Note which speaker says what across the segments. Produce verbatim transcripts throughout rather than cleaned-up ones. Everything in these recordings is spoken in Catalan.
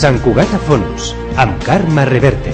Speaker 1: Sant Cugat a Fons, amb Carme Reverte.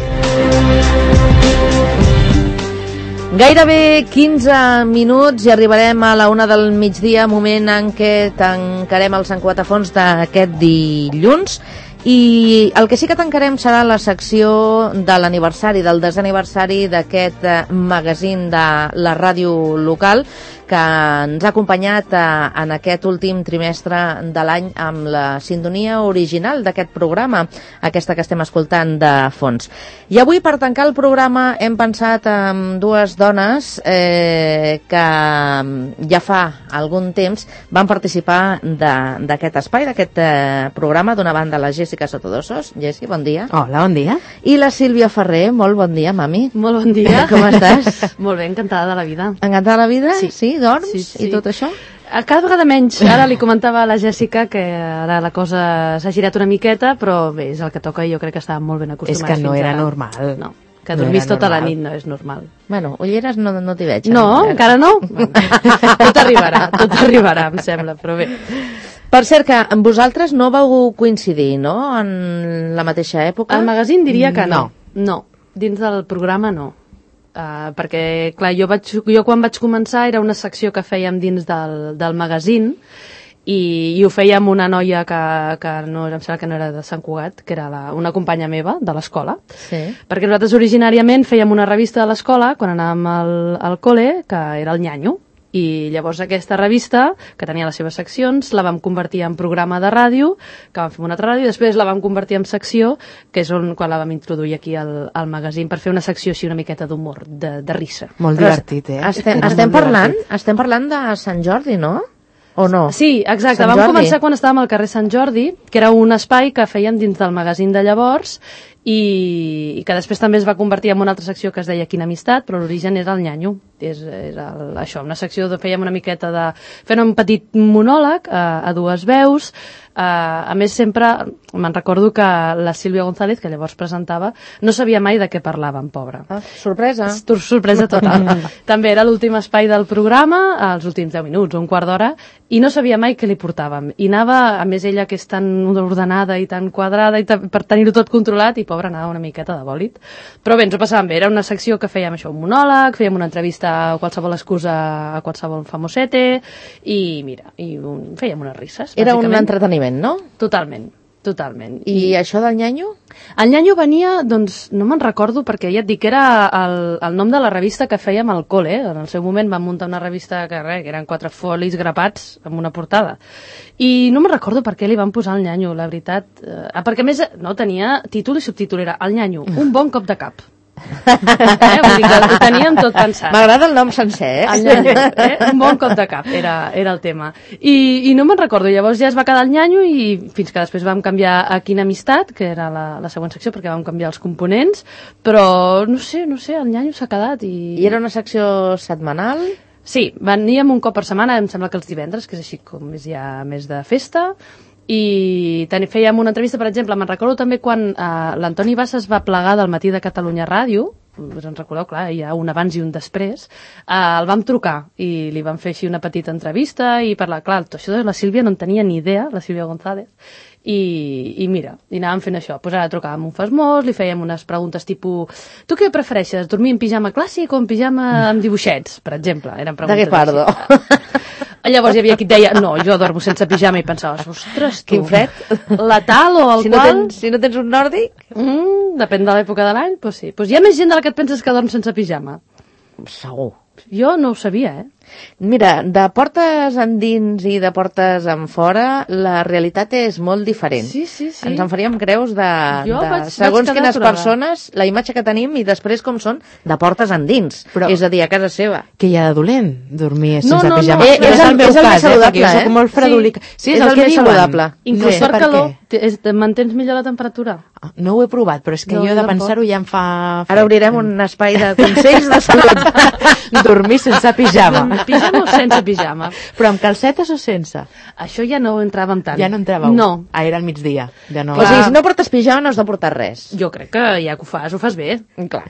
Speaker 2: Gairebé quinze minuts i arribarem a la una del migdia, moment en què tancarem el Sant Cugat a Fons d'aquest dilluns. I el que sí que tancarem serà la secció de l'aniversari, del desè aniversari d'aquest magazín de la ràdio local, que ens ha acompanyat en aquest últim trimestre de l'any amb la sintonia original d'aquest programa, aquesta que estem escoltant de fons. I avui, per tancar el programa, hem pensat en dues dones eh, que ja fa algun temps van participar d'aquest espai, d'aquest eh, programa. D'una banda, la Jessica Sotodosos. Jessi, bon dia.
Speaker 3: Hola, bon dia.
Speaker 2: I la Sílvia Ferrer. Molt bon dia, mami.
Speaker 3: Molt bon dia.
Speaker 2: Com estàs?
Speaker 3: Molt bé, encantada de la vida.
Speaker 2: Encantada de la vida?
Speaker 3: Sí.
Speaker 2: Sí, dorms
Speaker 3: sí, sí.
Speaker 2: I tot això?
Speaker 3: Cada vegada menys. Ara li comentava a la Jèssica que ara la cosa s'ha girat una miqueta, però bé, és el que toca i jo crec que estava molt ben acostumada.
Speaker 4: És que no era
Speaker 3: ara.
Speaker 4: normal.
Speaker 3: No, que dormís no tota normal. La nit no és normal.
Speaker 2: Bueno, ulleres no, no t'hi veig.
Speaker 3: No, ara. Encara no? Tot arribarà, tot arribarà, em sembla, però bé.
Speaker 2: Per cert, que amb vosaltres no vau coincidir, no?, en la mateixa època?
Speaker 3: Al magazín diria que no.
Speaker 2: No,
Speaker 3: no. Dins del programa no. Uh, perquè, clar, jo, vaig, jo quan vaig començar era una secció que fèiem dins del, del magazín i, i ho fèiem amb una noia que, que no, em sembla que no era de Sant Cugat, que era la, una companya meva de l'escola.
Speaker 2: Sí.
Speaker 3: Perquè nosaltres originàriament fèiem una revista de l'escola quan anàvem al, al col·le, que era el Nyanyo. I llavors aquesta revista, que tenia les seves seccions, la vam convertir en programa de ràdio, que vam fer una altra ràdio, i després la vam convertir en secció, que és on, quan la vam introduir aquí al, al magazín, per fer una secció així una miqueta d'humor, de, de risa.
Speaker 4: Molt
Speaker 2: Però
Speaker 4: divertit, eh?
Speaker 2: Estem, estem, parlant, estem parlant de Sant Jordi, no? O no?
Speaker 3: Sí, exacte.
Speaker 2: Sant
Speaker 3: Vam
Speaker 2: Jordi.
Speaker 3: començar quan estàvem al carrer Sant Jordi, que era un espai que fèiem dins del magazín de llavors, i, i que després també es va convertir en una altra secció que es deia Quina Amistat, però l'origen era el Nyanyo. És, és el, això, una secció de fèiem una miqueta de... fent un petit monòleg a, a dues veus. Uh, a més, sempre me'n recordo que la Sílvia González, que llavors presentava, no sabia mai de què parlaven, pobra.
Speaker 2: Ah, sorpresa.
Speaker 3: Sor sorpresa total. També era l'últim espai del programa, els últims deu minuts, un quart d'hora, i no sabia mai què li portàvem. I anava, a més ella que és tan ordenada i tan quadrada, i per tenir-ho tot controlat, i pobra, anava una miqueta de bòlit. Però bé, ens ho passàvem bé. Era una secció que fèiem això, un monòleg, fèiem una entrevista a qualsevol excusa a qualsevol famosete, i mira, i un, fèiem unes risses.
Speaker 2: Era un entreteniment, no?
Speaker 3: Totalment, totalment.
Speaker 2: I, I això del Nyanyo?
Speaker 3: El Nyanyo venia, doncs, no me'n recordo, perquè ja et dic que era el, el nom de la revista que fèiem al col·le. En el seu moment vam muntar una revista que, res, que eren quatre folis grapats amb una portada. I no me'n recordo per què li van posar el Nyanyo, la veritat. Eh, perquè a més no tenia títol i subtítol, era el Nyanyo, un bon cop de cap. eh? Vull dir que ho teníem tot pensat.
Speaker 2: M'agrada el nom sencer, eh?
Speaker 3: El Nyanyo, eh? Un bon cop de cap, era, era el tema. I, i no me'n recordo, llavors ja es va quedar el Nyanyo i fins que després vam canviar a Quina Amistat, que era la, la següent secció, perquè vam canviar els components, però no sé, no sé, el Nyanyo s'ha quedat i...
Speaker 2: I era una secció setmanal?
Speaker 3: Sí, veníem un cop per setmana, em sembla que els divendres, que és així com és ja més de festa, i fèiem una entrevista, per exemple, me'n recordo també quan eh, l'Antoni Bassas va plegar del Matí de Catalunya Ràdio, us en recordeu, clar, hi ha un abans i un després, eh, el vam trucar i li vam fer així una petita entrevista i parlar, clar, això de la Sílvia no en tenia ni idea, la Sílvia González, i, i mira, i anàvem fent això, pues ara trucàvem un fasmós, li fèiem unes preguntes tipus, tu què prefereixes, dormir en pijama clàssic o en pijama amb dibuixets, per exemple? Eren preguntes
Speaker 2: de què parlo?
Speaker 3: Llavors hi havia qui et deia, no, jo dormo sense pijama, i pensaves, ostres, tu,
Speaker 2: quin fred,
Speaker 3: la tal o el
Speaker 2: si no
Speaker 3: qual...
Speaker 2: Tens, si no tens un nòrdic?
Speaker 3: Mm, depèn de l'època de l'any, doncs sí. Pues hi ha més gent de la que et penses que dorm sense pijama.
Speaker 2: Segur.
Speaker 3: Jo no ho sabia, eh?
Speaker 2: Mira, de portes endins i de portes en fora, la realitat és molt diferent.
Speaker 3: Sí, sí, sí.
Speaker 2: Ens en faríem creus de,
Speaker 3: Jo
Speaker 2: de
Speaker 3: vaig,
Speaker 2: segons
Speaker 3: vaig
Speaker 2: quines
Speaker 3: aturada.
Speaker 2: persones, la imatge que tenim i després com són de portes endins.
Speaker 4: Però,
Speaker 2: és a dir, a casa seva.
Speaker 4: Què hi ha de dolent? Dormir
Speaker 3: No,
Speaker 4: sense
Speaker 3: no, no.
Speaker 4: pijama.
Speaker 2: Eh, és el-
Speaker 4: meu
Speaker 2: és el més
Speaker 4: cas,
Speaker 2: saludable,
Speaker 4: eh? Jo
Speaker 2: eh?
Speaker 4: soc molt fredolica.
Speaker 2: Sí,
Speaker 4: Sí,
Speaker 2: és
Speaker 4: és,
Speaker 2: el
Speaker 4: el que
Speaker 2: més
Speaker 4: diuen.
Speaker 2: saludable.
Speaker 3: Inclús
Speaker 4: No sé
Speaker 3: per
Speaker 4: per
Speaker 3: calor,
Speaker 4: què.
Speaker 3: te- és- te mantens millor la temperatura.
Speaker 4: No ho he provat, però és que
Speaker 3: No,
Speaker 4: jo
Speaker 3: jo
Speaker 4: de
Speaker 3: tampoc.
Speaker 4: pensar-ho ja em fa...
Speaker 2: Ara obrirem un espai de consells de salut.
Speaker 4: Dormir sense pijama.
Speaker 3: amb pijama o sense pijama.
Speaker 4: Però amb calcetes o sense?
Speaker 3: Això ja no entràvem tant.
Speaker 4: Ja no entràveu?
Speaker 3: No.
Speaker 4: Ah, era al migdia. Ja no...
Speaker 2: O sigui, si no portes pijama no has de portar res.
Speaker 3: Jo crec que ja que ho fas, ho fas bé.
Speaker 2: Clar.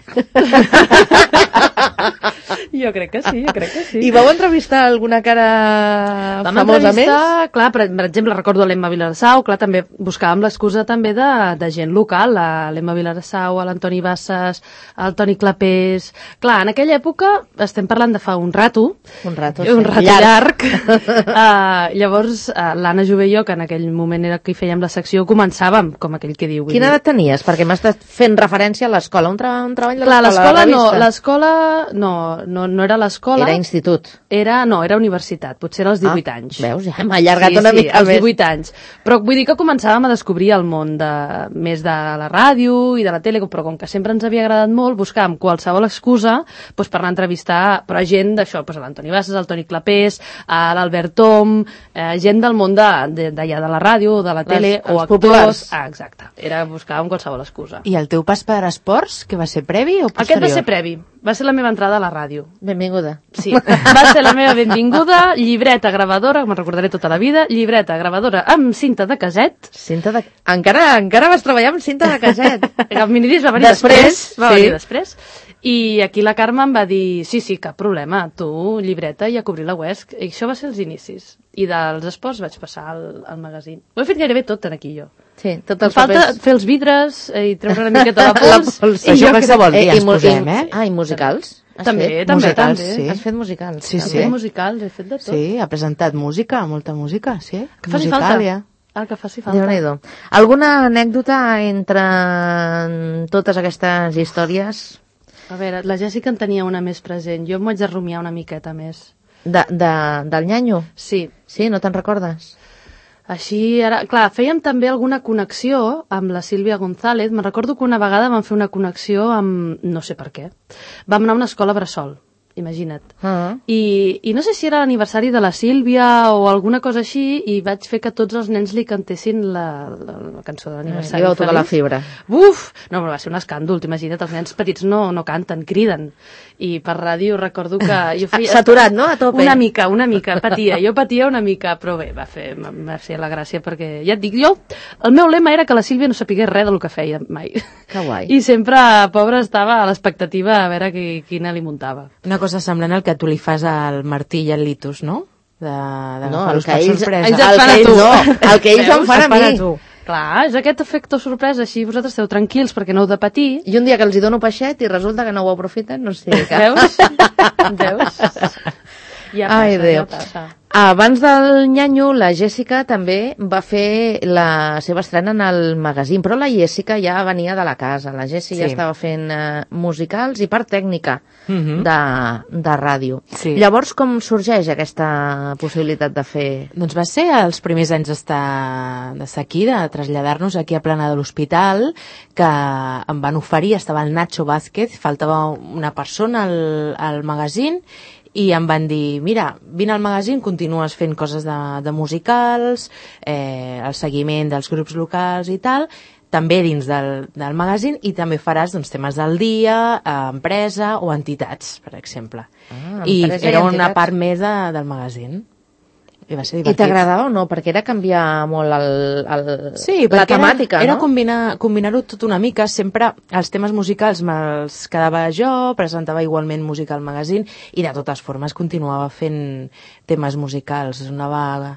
Speaker 3: Jo crec que sí, jo crec que sí.
Speaker 2: I vau entrevistar alguna cara
Speaker 3: Vam
Speaker 2: famosa més?
Speaker 3: entrevistar, clar, per, per exemple, recordo l'Emma Vilarsau, clar, també buscàvem l'excusa també de, de gent local, l'Emma Vilarsau, l'Antoni Bassas, el Toni Clapés... Clar, en aquella època, estem parlant de fa un rato,
Speaker 2: Un rato,
Speaker 3: un
Speaker 2: sí.
Speaker 3: rato llarg, uh, llavors uh, l'Anna Jové i jo, que en aquell moment era qui fèiem la secció, començàvem, com aquell que diu.
Speaker 2: Quina edat tenies? Perquè m'has estat fent referència a l'escola, un, tra un treball de
Speaker 3: Clar,
Speaker 2: l'escola,
Speaker 3: l'escola no, l'escola no, no, no era l'escola.
Speaker 2: Era institut.
Speaker 3: Era, no, era universitat, potser era als divuit
Speaker 2: Ah,
Speaker 3: anys.
Speaker 2: veus? Ja m'ha allargat
Speaker 3: sí,
Speaker 2: una
Speaker 3: sí,
Speaker 2: mica
Speaker 3: als
Speaker 2: més.
Speaker 3: divuit anys. Però vull dir que començàvem a descobrir el món de, més de la ràdio i de la tele, però com que sempre ens havia agradat molt, buscàvem qualsevol excusa doncs, per anar a entrevistar però gent d'això, doncs, l'Antoni Bassas, el Toni Clapés, l'Albert Tom, eh, gent del món d'allà de, de, de la ràdio, de la tele,
Speaker 2: Les,
Speaker 3: o
Speaker 2: els
Speaker 3: actors.
Speaker 2: populars.
Speaker 3: Ah, exacte. Era, buscàvem qualsevol excusa.
Speaker 4: I el teu pas per esports, que va ser previ o posterior?
Speaker 3: Aquest va ser previ. Va ser la meva entrada a la ràdio.
Speaker 2: Benvinguda.
Speaker 3: Sí, va ser la meva benvinguda, llibreta gravadora, me'n recordaré tota la vida, llibreta gravadora amb cinta de caset.
Speaker 2: Cinta de... Encara, encara vas treballar amb cinta de caset.
Speaker 3: El minidisc va venir
Speaker 2: Després,
Speaker 3: després, va
Speaker 2: sí.
Speaker 3: venir després. I aquí la Carme em va dir, sí, sí, cap problema, tu, llibreta i a cobrir la U E S C. I això va ser els inicis. I dels esports vaig passar al, al magazín. Ho he fet gairebé tot en aquí, jo.
Speaker 2: Sí, tots
Speaker 3: Em
Speaker 2: els
Speaker 3: falta
Speaker 2: papers...
Speaker 3: fer els vidres eh, i treure una miqueta la pols.
Speaker 2: pols.
Speaker 3: I
Speaker 4: Això
Speaker 3: jo
Speaker 4: qualsevol
Speaker 3: crec-
Speaker 4: dia ens
Speaker 2: i mu-
Speaker 4: posem,
Speaker 2: i-
Speaker 4: eh?
Speaker 2: Ah, i musicals? Has
Speaker 3: També,
Speaker 2: fet?
Speaker 3: també,
Speaker 4: musicals,
Speaker 3: també.
Speaker 4: sí.
Speaker 2: Has fet musicals?
Speaker 4: Sí,
Speaker 3: He
Speaker 4: sí.
Speaker 3: fet musicals, he fet de tot.
Speaker 4: Sí, ha presentat música, molta música, sí.
Speaker 3: Que faci
Speaker 4: Musical,
Speaker 3: falta.
Speaker 4: ja.
Speaker 3: El que faci falta.
Speaker 2: Déu-n'hi-do. Alguna anècdota entre totes aquestes històries
Speaker 3: A veure, la Jèssica en tenia una més present. Jo em vaig de rumiar una miqueta més.
Speaker 2: de, de, del nyanyo?
Speaker 3: Sí.
Speaker 2: Sí, no te'n recordes?
Speaker 3: Així, ara, clar, fèiem també alguna connexió amb la Sílvia González. Me'n recordo que una vegada vam fer una connexió amb... no sé per què. Vam anar a una escola bressol, imagina't.
Speaker 2: Ah.
Speaker 3: I, I no sé si era l'aniversari de la Sílvia o alguna cosa així, i vaig fer que tots els nens li cantessin la, la, la cançó de l'aniversari.
Speaker 2: Li vau tocar la
Speaker 3: feliç.
Speaker 2: fibra.
Speaker 3: Uf! No, però va ser un escàndol, t'imagina't, els nens petits no, no canten, criden. I per ràdio recordo que... Jo feia...
Speaker 2: Saturat, no? A tope.
Speaker 3: Una mica, una mica, patia. Jo patia una mica, però bé, va fer, va fer la gràcia perquè, ja et dic, jo, el meu lema era que la Sílvia no sapigués res del que feia mai.
Speaker 2: Que guai.
Speaker 3: I sempre, pobra, estava a l'expectativa a veure qui, quina li muntava.
Speaker 4: Una cosa semblant al que tu li fas al Martí i al Litus, no? De, de
Speaker 2: No,
Speaker 4: agafar-los
Speaker 2: el que
Speaker 4: per
Speaker 2: ells,
Speaker 4: sorpresa.
Speaker 2: ells
Speaker 3: et
Speaker 2: el
Speaker 3: fan
Speaker 2: que
Speaker 3: a
Speaker 2: ells
Speaker 3: tu.
Speaker 2: no, el que ells em
Speaker 3: Veus?
Speaker 2: fan a
Speaker 4: Et fan a
Speaker 2: mi.
Speaker 4: tu.
Speaker 3: Clar, és aquest efecte sorpresa, així vosaltres esteu tranquils perquè no heu de patir.
Speaker 2: I un dia que els hi dono peixet i resulta que no ho aprofiten, no sé què.
Speaker 3: Veus? Veus? Ja passa,
Speaker 2: Ai, Déu.
Speaker 3: ja passa.
Speaker 2: Abans del nyanyo, la Jèssica també va fer la seva estrena en el magazín, però la Jèssica ja venia de la casa. La Jèssica
Speaker 4: Sí.
Speaker 2: ja estava fent eh, musicals i part tècnica
Speaker 4: Mhm.
Speaker 2: de, de ràdio.
Speaker 4: Sí.
Speaker 2: Llavors, com sorgeix aquesta possibilitat de fer...
Speaker 4: Doncs va ser els primers anys d'estar d'estar aquí, de traslladar-nos aquí a Plana de l'Hospital, que em van oferir, estava el Nacho Vázquez, faltava una persona al, al magazín, i em van dir, mira, vine al magazín, continues fent coses de, de musicals, eh, el seguiment dels grups locals i tal, també dins del, del magazín, i també faràs doncs, temes del dia, eh, empresa o entitats, per exemple.
Speaker 2: Ah,
Speaker 4: I
Speaker 2: empresa i
Speaker 4: era una
Speaker 2: entitats.
Speaker 4: part més de, del magazín. I va ser
Speaker 2: I
Speaker 4: divertit.
Speaker 2: t'agradava o no? Perquè era canviar molt el, el,
Speaker 4: Sí,
Speaker 2: la
Speaker 4: perquè
Speaker 2: temàtica,
Speaker 4: era, era
Speaker 2: no?
Speaker 4: combinar, combinar-ho tot una mica. Sempre els temes musicals me'ls quedava jo, presentava igualment música al magazín i de totes formes continuava fent temes musicals. És una, vaga,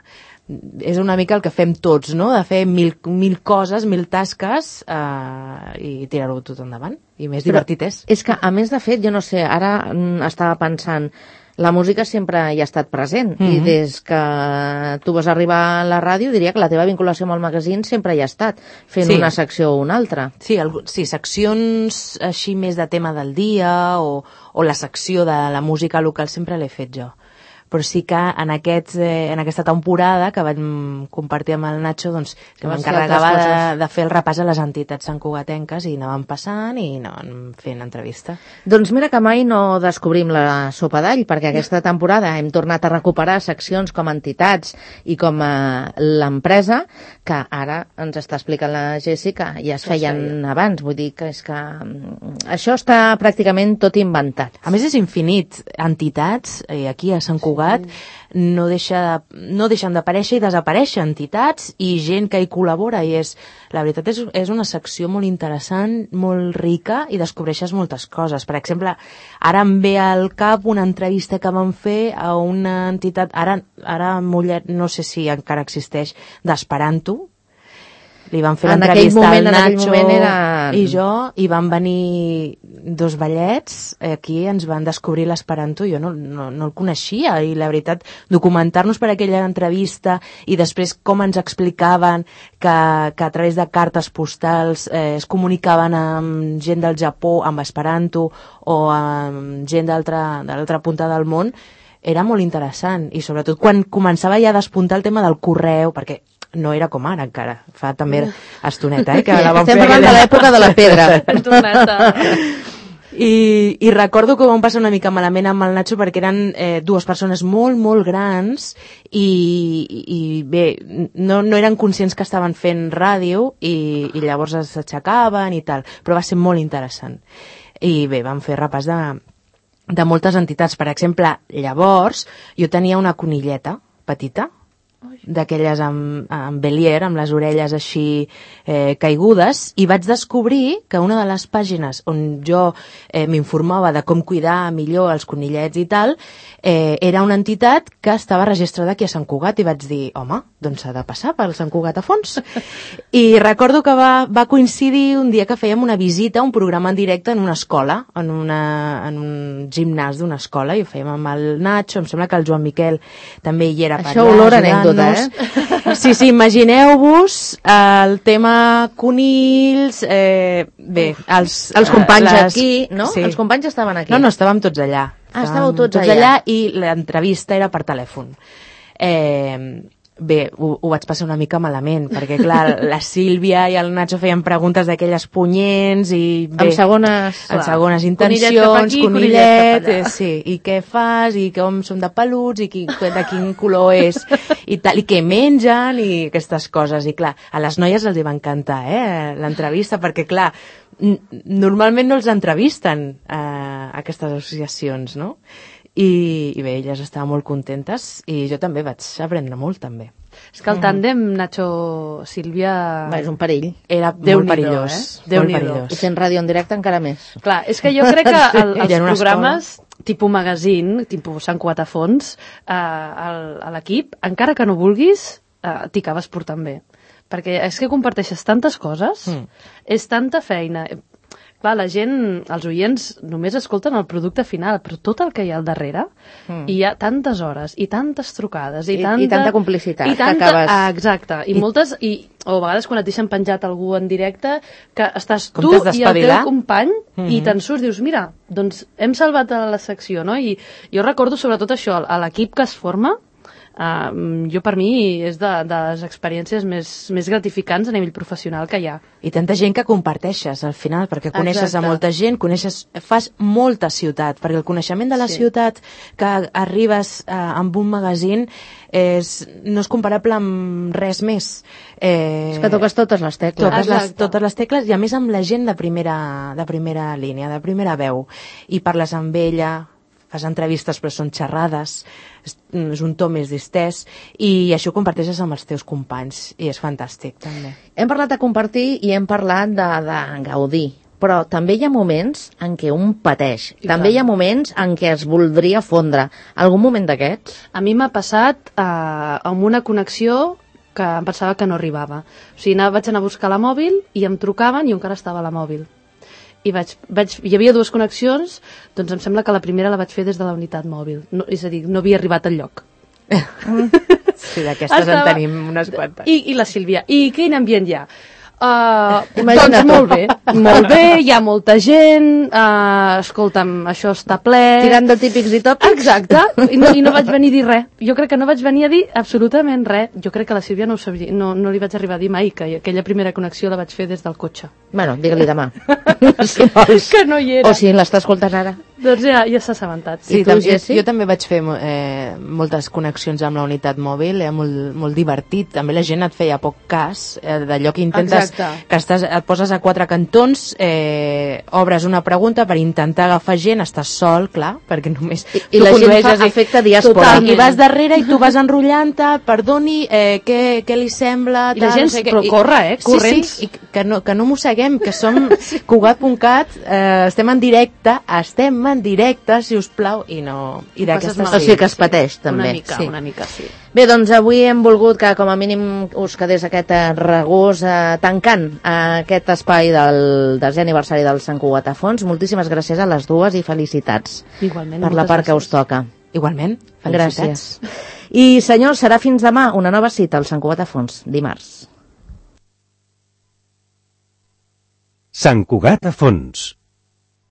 Speaker 4: és una mica el que fem tots, no? De fer mil, mil coses, mil tasques eh, i tirar-ho tot endavant. I més
Speaker 2: Però
Speaker 4: divertit és.
Speaker 2: És que, a més de fet, jo no sé, ara mm, estava pensant, la música sempre hi ha estat present, mm -hmm. i des que tu vas arribar a la ràdio, diria que la teva vinculació amb el magazín sempre hi ha estat, fent
Speaker 4: Sí.
Speaker 2: una secció o una altra.
Speaker 4: Sí, algú, sí, seccions així més de tema del dia o, o la secció de la música local sempre l'he fet jo. però sí que en, aquests, eh, en aquesta temporada que vam compartir amb el Nacho, doncs, que m'encarregava de, de fer el repàs a les entitats santcugatenques i anàvem passant i anàvem fent entrevista.
Speaker 2: Doncs mira que mai no descobrim la sopa d'all, perquè aquesta temporada hem tornat a recuperar seccions com entitats i com eh, l'empresa, que ara ens està explicant la Jessica, ja es feien abans, vull dir que és que això està pràcticament tot inventat.
Speaker 4: A més és infinit, entitats, eh, aquí a Sant Cugat, sí. no, deixa de, no deixen d'aparèixer i desaparèixer entitats i gent que hi col·labora, i és, la veritat és, és una secció molt interessant, molt rica, i descobreixes moltes coses. Per exemple, ara em ve al cap una entrevista que vam fer a una entitat, ara, ara Mollet, no sé si encara existeix, d'Esperanto. Li van fer l'entrevista al Nacho era... i jo, i van venir dos ballets, aquí ens van descobrir l'Esperanto, jo no, no, no el coneixia, i la veritat, documentar-nos per aquella entrevista i després com ens explicaven que, que a través de cartes postals eh, es comunicaven amb gent del Japó, amb Esperanto, o amb gent d'altra de l'altra punta del món, era molt interessant, i sobretot quan començava ja a despuntar el tema del correu, perquè no era com ara encara, fa també estoneta, eh, que la vam
Speaker 2: Estem
Speaker 4: fer
Speaker 2: parlant
Speaker 4: aquella...
Speaker 2: de l'època de la pedra.
Speaker 4: I, I recordo que vam passar una mica malament amb el Nacho perquè eren eh, dues persones molt, molt grans i, i bé, no, no eren conscients que estaven fent ràdio i, i llavors s'aixecaven i tal, però va ser molt interessant. I bé, vam fer repàs de, de moltes entitats. Per exemple, llavors jo tenia una conilleta petita, d'aquelles amb, amb Belier, amb les orelles així eh, caigudes, i vaig descobrir que una de les pàgines on jo eh, m'informava de com cuidar millor els conillets i tal, eh, era una entitat que estava registrada aquí a Sant Cugat, i vaig dir, home, doncs s'ha de passar pel Sant Cugat a fons. I recordo que va, va coincidir un dia que fèiem una visita, un programa en directe en una escola, en, una, en un gimnàs d'una escola, i ho fèiem amb el Nacho, em sembla que el Joan Miquel també hi era per allà.
Speaker 2: Això olor anècdota, eh?
Speaker 4: Sí, sí, imagineu-vos el tema conills, eh, bé, els...
Speaker 2: Els companys
Speaker 4: les...
Speaker 2: aquí, no?
Speaker 4: Sí.
Speaker 2: Els companys estaven aquí.
Speaker 4: No, no, estàvem tots allà.
Speaker 2: Ah, estàveu tots,
Speaker 4: tots
Speaker 2: allà.
Speaker 4: allà. I l'entrevista era per telèfon. Eh... Bé, ho, ho vaig passar una mica malament, perquè, clar, la Sílvia i el Nacho feien preguntes d'aquelles punyents i... Bé,
Speaker 2: amb segones...
Speaker 4: amb segones intencions,
Speaker 3: aquí,
Speaker 4: conillet, eh, sí, i què fas, i com són de peluts, i qui, de quin color és, i tal, i què mengen, i aquestes coses. I, clar, a les noies els hi va encantar, eh, l'entrevista, perquè, clar, normalment no els entrevisten eh, aquestes associacions, no? I, i bé, elles estaven molt contentes i jo també vaig aprendre molt, també.
Speaker 3: És que el tàndem Nacho-Sílvia...
Speaker 2: Va, és un perill.
Speaker 4: Era
Speaker 3: Déu
Speaker 4: molt perillós.
Speaker 3: Eh? Déu
Speaker 4: molt perillós.
Speaker 2: I fent ràdio en directe encara més.
Speaker 3: Clar, és que jo crec que el, els
Speaker 4: una
Speaker 3: programes tipus magazine, tipus Sant Cugat a fons, eh, a l'equip, encara que no vulguis, eh, t'hi acabes portant bé. Perquè és que comparteixes tantes coses, mm. és tanta feina... Clar, la gent, els oients, només escolten el producte final, però tot el que hi ha al darrere, mm. hi ha tantes hores, i tantes trucades, i,
Speaker 2: I,
Speaker 3: tanta...
Speaker 2: i tanta complicitat,
Speaker 3: i tanta,
Speaker 2: que acabes...
Speaker 3: Ah, exacte, i, I moltes, i, o a vegades quan et deixen penjat algú en directe, que estàs
Speaker 4: com
Speaker 3: tu i el teu company,
Speaker 4: mm -hmm.
Speaker 3: i te'n surts, dius, mira, doncs hem salvat a la secció, no? I jo recordo sobretot això, a l'equip que es forma, Uh, jo per mi és de, de les experiències més, més gratificants a nivell professional que hi ha.
Speaker 4: I tanta gent que comparteixes al final, perquè coneixes Exacte. a molta gent, coneixes, fas molta ciutat, perquè el coneixement de la sí. ciutat que arribes uh, amb un magazín és, no és comparable amb res més.
Speaker 2: Eh, és que toques totes les tecles.
Speaker 4: Toques les, totes les tecles, i a més amb la gent de primera, de primera línia, de primera veu. I parles amb ella, fas entrevistes però són xerrades, és, és un to més distès, i això ho comparteixes amb els teus companys i és fantàstic també.
Speaker 2: Hem parlat de compartir i hem parlat de, de gaudir, però també hi ha moments en què un pateix, I també tant. Hi ha moments en què es voldria fondre. Algun moment d'aquests?
Speaker 3: A mi m'ha passat eh, amb una connexió que em pensava que no arribava. O sigui, anava, vaig anar a buscar la mòbil i em trucaven i encara estava a la mòbil. I vaig, vaig, hi havia dues connexions, doncs em sembla que la primera la vaig fer des de la unitat mòbil, no, és a dir, no havia arribat al lloc.
Speaker 4: Sí, d'aquestes Estava... en tenim unes quantes.
Speaker 3: I, i la Sílvia, i quin ambient hi ha? Uh,
Speaker 2: Imagina't.
Speaker 3: doncs molt bé, molt bé, hi ha molta gent, uh, escolta'm, això està ple...
Speaker 2: Tirant de típics i tòpics.
Speaker 3: Exacte, i no, i no vaig venir a dir res. Jo crec que no vaig venir a dir absolutament res. Jo crec que a la Sílvia no, ho sabia, no, no li vaig arribar a dir mai, que aquella primera connexió la vaig fer des del cotxe.
Speaker 2: Bueno, digue-li demà. Si vols.
Speaker 3: Que no hi era.
Speaker 2: O si l'està escoltant ara.
Speaker 3: Doncs ja, ja s'ha assabentat.
Speaker 4: Sí,
Speaker 2: I tu,
Speaker 4: tam jo,
Speaker 2: Jessi?
Speaker 4: jo també vaig fer eh, moltes connexions amb la unitat mòbil, era molt, molt divertit. També la gent et feia poc cas eh, d'allò que intentes,
Speaker 3: Exacte.
Speaker 4: que estàs, et poses a quatre cantons, eh, obres una pregunta per intentar agafar gent, estàs sol, clar, perquè només
Speaker 2: I, i
Speaker 4: tu
Speaker 2: la gent fa
Speaker 4: condueixes i-
Speaker 2: efecte diàspora.
Speaker 4: Total, i vas darrere i tu vas enrotllant-te, perdoni, eh, què, què li sembla...
Speaker 3: I la
Speaker 4: tal,
Speaker 3: gent
Speaker 4: no sé què,
Speaker 3: però corre, eh, corrents.
Speaker 4: Sí, sí, i que no, que no mosseguem, que som Cugat punt cat, eh, estem en directe, estem en directe, si us plau, i no... I
Speaker 3: passes
Speaker 4: d'aquesta
Speaker 2: O sigui que es pateix, també.
Speaker 3: Una mica,
Speaker 2: sí.
Speaker 3: una mica, sí.
Speaker 2: Bé, doncs avui hem volgut que com a mínim us quedés aquest eh, regús eh, tancant eh, aquest espai del desè aniversari del Sant Cugat a Fons. Moltíssimes gràcies a les dues i felicitats
Speaker 3: Igualment,
Speaker 2: per la
Speaker 3: moltes
Speaker 2: part que
Speaker 3: gràcies.
Speaker 2: us toca.
Speaker 4: Igualment, felicitats.
Speaker 2: Gràcies. I senyors, serà fins demà una nova cita al Sant Cugat a Fons, dimarts.
Speaker 1: Sant Cugat a Fons,